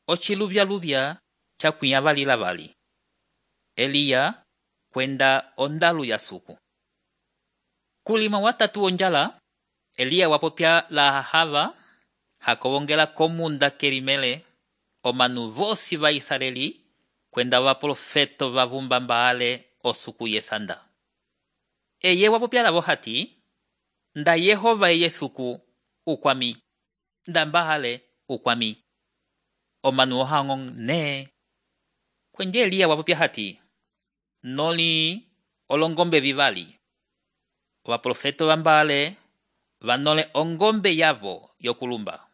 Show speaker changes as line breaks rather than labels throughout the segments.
ociluvya-luvya cakwinya vali. Eliya kwenda ondalu ya suku. Kulima watatu onjala, Eliya wapopya la Ahava, hakowongela komunda kelimele, omanu vosi va Israeli, kwenda waprofeto vavumba Baale osuku yesanda. Eye wapopya lavo hati, nda Yehova eye suku ukwami, nda Baale ukwami. Omanu ohangong ne. Kwenje Eliya wapopya hati, noli olongombe vivali. Waprofeto va Baale vanole ongombe yavo yokulumba.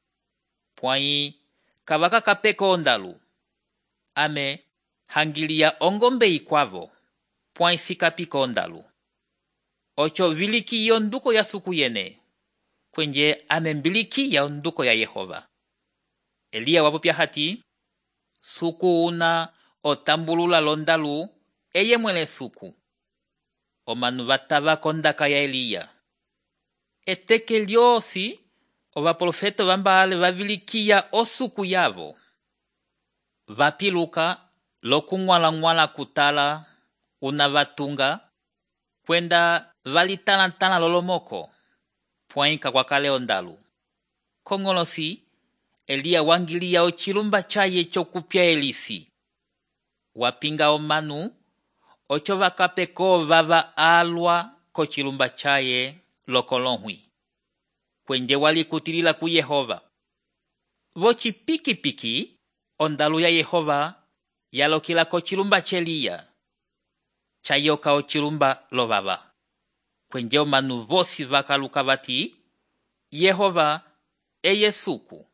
Pwai kavaka kapeko ondalu. Ame hangilia ongombe ikwavo. Pwai sikapiko ondalu. Ocho viliki yonduko ya suku yene. Kwenje ame mbiliki ya onduko ya Yehova. Eliya wapopya hati, suku una otambulula londalu eye mwele suku. Omanu vatava kondaka ya Eliya. Eteke lyosi ovaprofeto va Baale vavilikiya osuku yavo. Vapiluka lokung'wala-ng'wala kutala una vatunga, kwenda valitala-tala lolomoko, pwai kakwakale ondalu. Kongolosi, Eliya wangiliya ocilumba chaye chokupya elisi. Wapinga omanu, ocho vakapeko vava alwa kocilumba chaye lokolonhwi. Kwenje walikutilila ku Yehova. Vocipiki-piki, ondalu ya Yehova yalokila kocilumba cheliya. Chayoka ocilumba lovava. Kwenje omanu vosi vakaluka vati, Yehova eye suku.